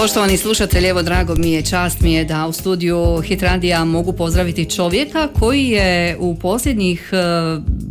Poštovani slušatelji, evo drago mi je, čast mi je da u studiju Hit Radija mogu pozdraviti čovjeka koji je u posljednjih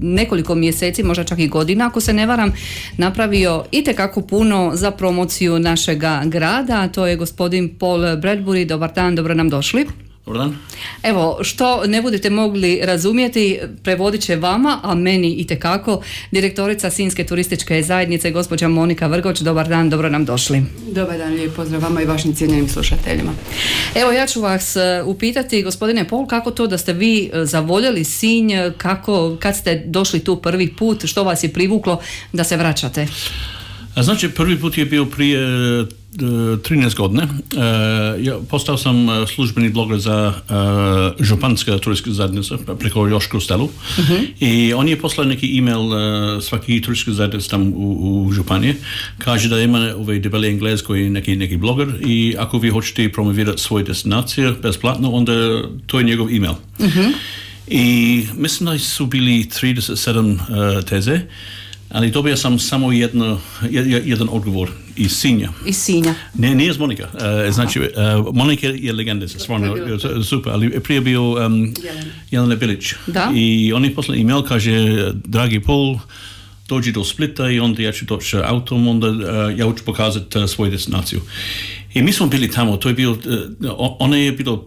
nekoliko mjeseci, možda čak i godina, ako se ne varam, napravio itekako puno za promociju našega grada, a to je gospodin Paul Bradbury. Dobar dan, dobro nam došli. Dobar dan. Evo, što ne budete mogli razumjeti, prevodit će vama, a meni itekako, direktorica Sinjske turističke zajednice, gospođa Monika Vrgoč. Dobar dan, dobro nam došli. Dobar dan, lijep pozdrav vama i vašim cijenjenim slušateljima. Evo, ja ću vas upitati, gospodine Paul, kako to da ste vi zavoljeli Sinj, kad ste došli tu prvi put, što vas je privuklo da se vraćate? Znači, prvi put je bio prije 13 godina. Ja postao sam službeni bloger za županska turistička zajednica preko Joška u Stelu. I on je poslao neki email svaki turistička zajednica tam u županije. Kaže da ima ovaj debeli Englez koji je neki bloger i ako vi hoćete promovirati svoje destinacije besplatno, onda to je njegov email. I mislim da su bili 37 teze, ali dobio sam samo jedan odgovor iz Sinja. Iz Sinja? Ne, nije iz Monika. Znači, Monika je legenda, stvarno super, ali prije bio Jelena Bilić. Da? I on je poslao email, kaže, dragi Paul, dođi do Splita i onda ja ću doći autom, onda ja ću pokazati svoju destinaciju. I mi smo bili tamo, to je bilo, ona je bilo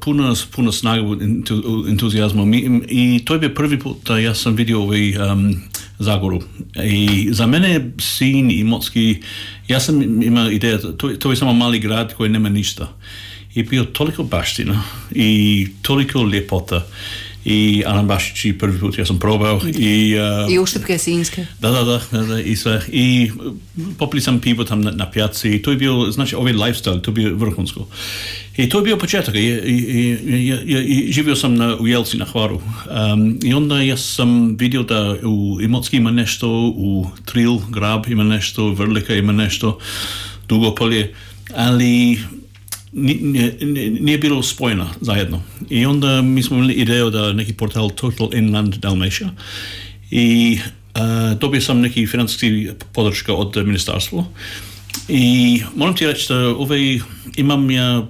puno snage, entuzijazma i to je bio prvi put da ja sam vidio Zagoru. I za mene Sinj i Imotski, ja sam imao ideja, to je samo mali grad koji nema ništa. I bio toliko baština i toliko ljepota. I arambašići prvi put ja sam probao i uštipke sinjske. Da, i sve. I popili sam pivo tam na pijaci i to je bio, znači ovaj lifestyle, to je bio vrhunsko. I to je bio početak i živio sam u Jelci na Hvaru. I onda ja sam vidio da u Imotski ima nešto, u Tril, Grab ima nešto, Vrlika ima nešto, Dugopolje, ali nije bilo spojeno zajedno. I onda mi smo imali ideju da neki portal Total Inland Dalmatia i dobio sam neki financijski podrška od ministarstva i moram ti reći da imam ja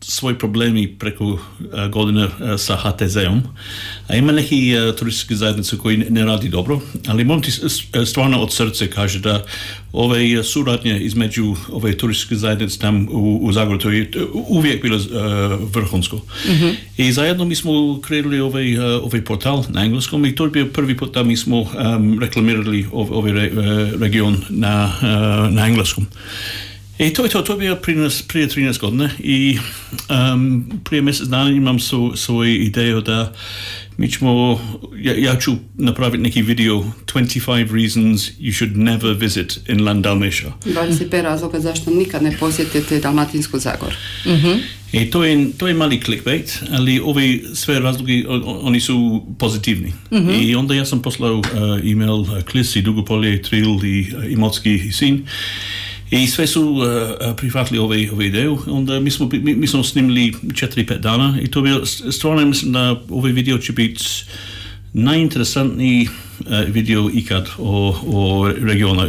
svoji problemi preko godine sa HTZ-om, a ima neki turističke zajednice koji ne radi dobro, ali moram ti stvarno od srce kaže da ove suradnje između ove turističke zajednice tam u Zagorju to je uvijek bilo vrhunsko. I zajedno mi smo kreirali ovaj portal na engleskom i to je bio prvi put da mi smo reklamirali ovaj region na engleskom. I to je bio prije 13 godina i prije mjesec dana imam svoju ideju da mi ćemo, ja ću napraviti neki video 25 reasons you should never visit inland Dalmatia. 25 razloga zašto nikad ne posjetite Dalmatinsku Zagoru. I to je mali clickbait, ali ovi sve razlogi, oni su pozitivni. I onda ja sam poslao email Klis i Dugopolje, Tril i Imotski i Sinj. I sve su prihvatili ovu ideju. Onda mi smo snimili 4-5 dana i to bilo stvarno, mislim da ovaj video će biti najinteresantniji video ikad o regionu.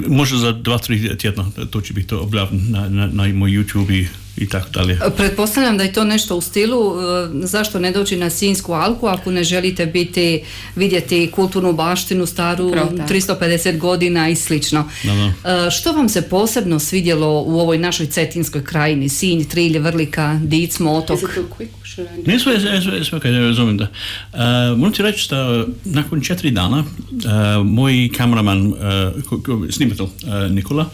Možda za 2-3 tjedna to će biti objavljeno na moj YouTube i tako dalje. Pretpostavljam da je to nešto u stilu zašto ne doći na Sinjsku alku ako ne želite vidjeti kulturnu baštinu staru 350 godina i slično. Što vam se posebno svidjelo u ovoj našoj cetinskoj krajini? Sinj, Trilj, Vrlika, Dicmo, Otok? Ne sve kaj ne razumijem da. Moram ti reći da nakon 4 dana moj kameraman, snimatelj Nikola,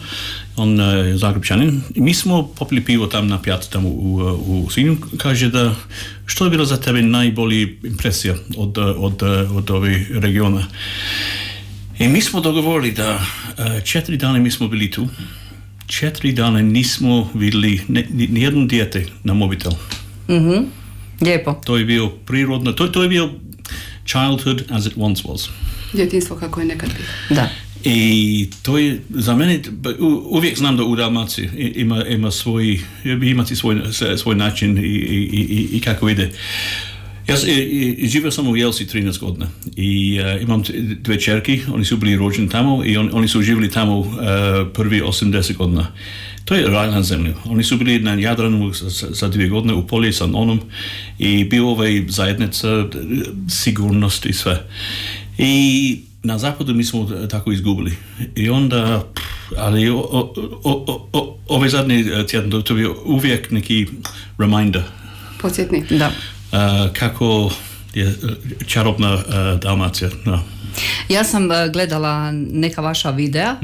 on je Zagrebčanin, mi smo popili pivo tam na pijaci tam u Sinju, kaže da što je bilo za tebe najbolji impresija od ovih regiona. I mi smo dogovorili da 4 dana mi smo bili tu, 4 dana nismo vidjeli nijedno dijete na mobitel. Lijepo. To je bio prirodno, to je bio childhood as it once was. Djetinjstvo kako je nekad bilo. Da. I to je za mene, uvijek znam da u Dalmaciji imati svoj način i kako ide. Ja živio sam u Jelsi 13 godina i imam 2 čerki, oni su bili rođeni tamo i oni su živjeli tamo prvi 80 godina. to je raj na zemlji. Oni su bili na Jadranu za 2 godine u polje sa onom i bio ovaj zajednica, sigurnost i sve. I na zapadu mi smo tako izgubili. I onda, ali ovaj zadnji tjedan to bio uvijek neki reminder. Podsjetnik. Da. Kako je čarobna Dalmacija. No. Ja sam gledala neka vaša videa,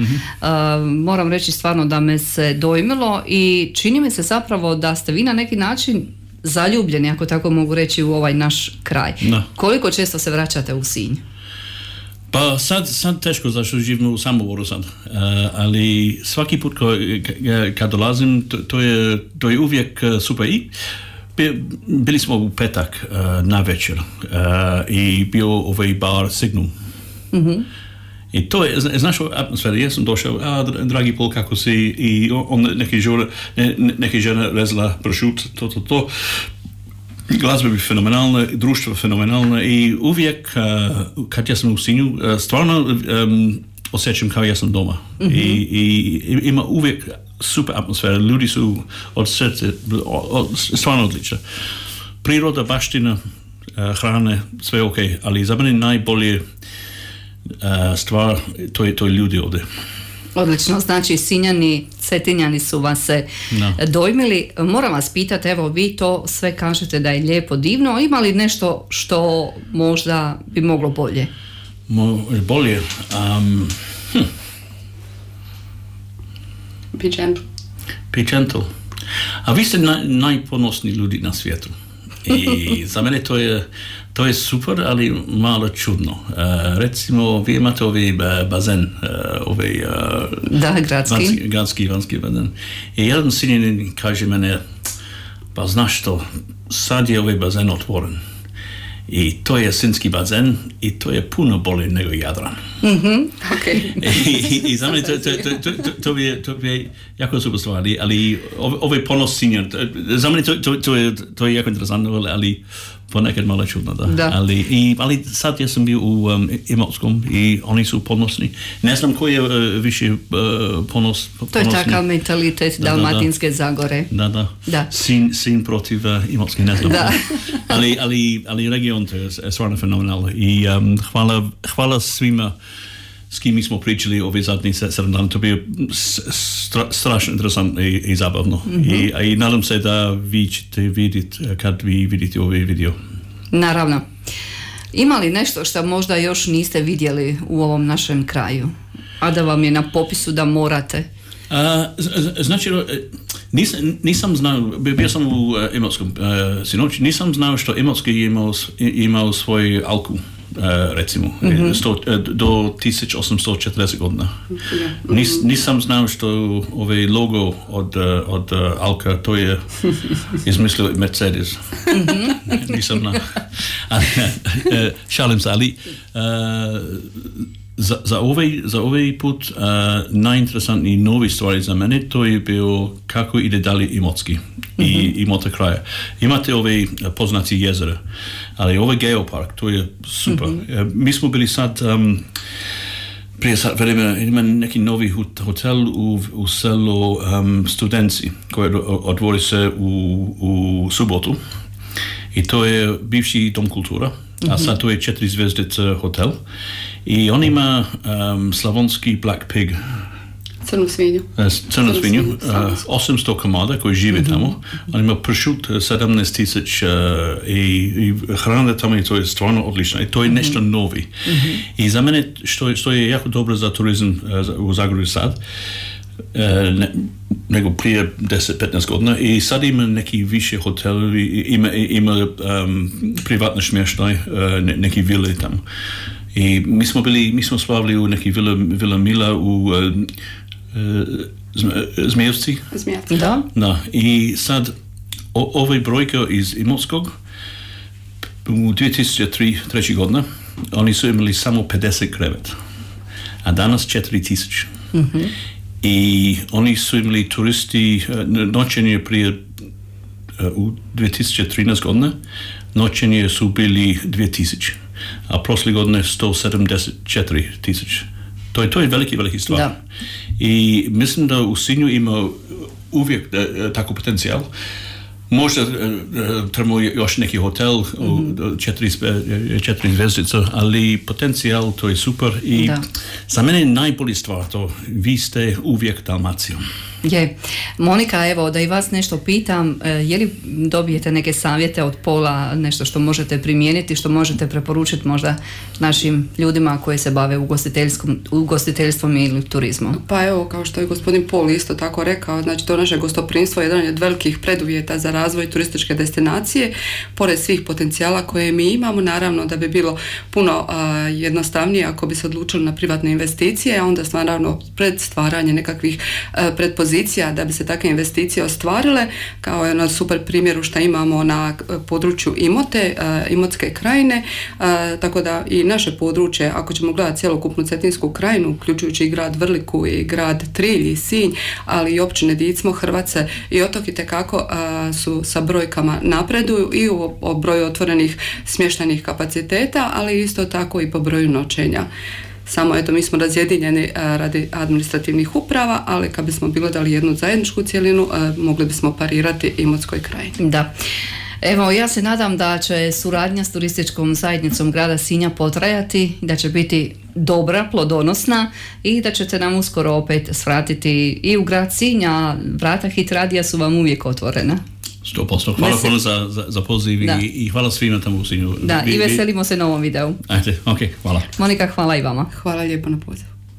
moram reći stvarno da me se dojmilo i čini mi se zapravo da ste vi na neki način zaljubljeni, ako tako mogu reći, u ovaj naš kraj. No. Koliko često se vraćate u Sinj? Pa sad teško, zašto živim u Samoboru sad, ali svaki put kad dolazim, to je uvijek super. I bili smo u petak na večer i bio ovaj bar Signum. I to je, znaš, atmosfera, ja sam došao, dragi Pol, kako si, i on neki žena rezala pršut, to. Glazba bi fenomenalna, društvo fenomenalno i uvijek kad ja sam u Sinju, stvarno osjećam kao ja sam doma. I ima uvijek super atmosfera, ljudi su od srca, stvarno odlična. Priroda, baština, hrane, sve ok, ali za mene najbolje stvar, to je ljudi ovdje. Odlično, znači Sinjani, Cetinjani su vas se dojmili. Moram vas pitati, evo vi to sve kažete da je lijepo, divno, ima li nešto što možda bi moglo bolje? Bolje? Be gentle. Be gentle. A vi ste najponosniji ljudi na svijetu. I za mene to je super, ali malo čudno. Recimo, vi imate ovaj bazen, gradski vanjski bazen. I jedan Sinjanin kaže mene, pa znaš što, sad je ovaj bazen otvoren. I to je sinjski bazen i to je puno bolje nego Jadran. Okay. I za mene to je jako super stvar, ali ovaj ponos Sinja, za mene to je jako interesantno, ali ponekad malo čudno, da. Ali sad ja sam bio u Imotskom i oni su ponosni. Ne znam koji je više ponosni. To je takav mentalitet Dalmatinske Zagore. Da. Sin protiv Imotski, ne znam. Ali region to je stvarno fenomenalno. I hvala svima s kim mi smo pričali ove zadnji 7 dana. To je strašno interesantno i zabavno. I nadam se da vi ćete vidjeti kad vi vidite ovaj video. Naravno. Ima li nešto što možda još niste vidjeli u ovom našem kraju, a da vam je na popisu da morate? Znači, nisam znao, bio sam u Imotskom sinoć, nisam znao što Imotski imao svoj alku. Recimo, do 1840 godina. Nisam znao što ovaj logo od Alka, to je izmislio Mercedes. Nisam znao. Šalim se, ali za ovaj put najinteresantniji novi stvari za mene, to je bio kako ide dalje Imotski i Imota kraja. Imate ove poznati jezera, ali ovaj geopark, to je super. Mi smo bili sad prije vremena, ima neki novi hotel u selu Studenci, koji otvori se u subotu. I to je bivši dom kultura, a sad to je 4 zvjezdice hotel. I on ima slavonski Black Pig. Crnu svinju. 800 komada koji žive tamo. On ima pršut 17,000 i hrana tamo i to je stvarno odlično. I to je nešto novi. I za mene što je jako dobro za turizam u Zagorju sad, nego prije 10-15 godina, i sad ima neki više hotel, ima privatni smještaj, neki vile tamo. I mi smo spavali u neki Vila Mila u Zmijevci. Da. I sad ovaj brojka iz Imotskog u 2003. godina oni su imali samo 50 kreveta, a danas 4000. I oni su imali turisti noćenje prije u 2013 godina, noćenje su bili 2000, a prošle godine 174,000 To je veliki stvar. Da. I mislim da u Sinju ima uvijek tako potencijal. Možda trebamo još neki hotel, 4 zvjezdice, ali potencijal to je super i za mene je najbolji stvar to, vi ste uvijek Dalmacijom. Je. Monika, evo da i vas nešto pitam, je li dobijete neke savjete od Pola, nešto što možete primijeniti, što možete preporučiti možda našim ljudima koji se bave ugostiteljstvom ili turizmom? Pa evo, kao što je gospodin Pol isto tako rekao, znači to naše gostoprimstvo je jedan od velikih preduvjeta za razvoj turističke destinacije, pored svih potencijala koje mi imamo, naravno da bi bilo puno jednostavnije ako bi se odlučili na privatne investicije, a onda naravno pred stvaranje nekakvih predpozicija da bi se takve investicije ostvarile, kao je na super primjeru što imamo na području Imote, Imotske krajine, tako da i naše područje, ako ćemo gledati cjelokupnu Cetinsku krajinu, uključujući i grad Vrliku i grad Trilj i Sinj, ali i općine Dicmo, Hrvace i Otok itekako su sa brojkama napreduju i u broju otvorenih smještajnih kapaciteta, ali isto tako i po broju noćenja. Samo eto, mi smo razjedinjeni radi administrativnih uprava, ali kad bismo bilo dali jednu zajedničku cjelinu, mogli bismo parirati Imotskoj krajini. Da. Evo, ja se nadam da će suradnja s turističkom zajednicom grada Sinja potrajati, da će biti dobra, plodonosna i da ćete nam uskoro opet svratiti i u grad Sinja. Vrata Hit Radija su vam uvijek otvorena. 100%. Hvala puno za poziv i hvala svima tamo u Sinju. Da, i veselimo se novom videu. Ajde, ok, hvala. Monika, hvala i vama. Hvala lijepo na poziv.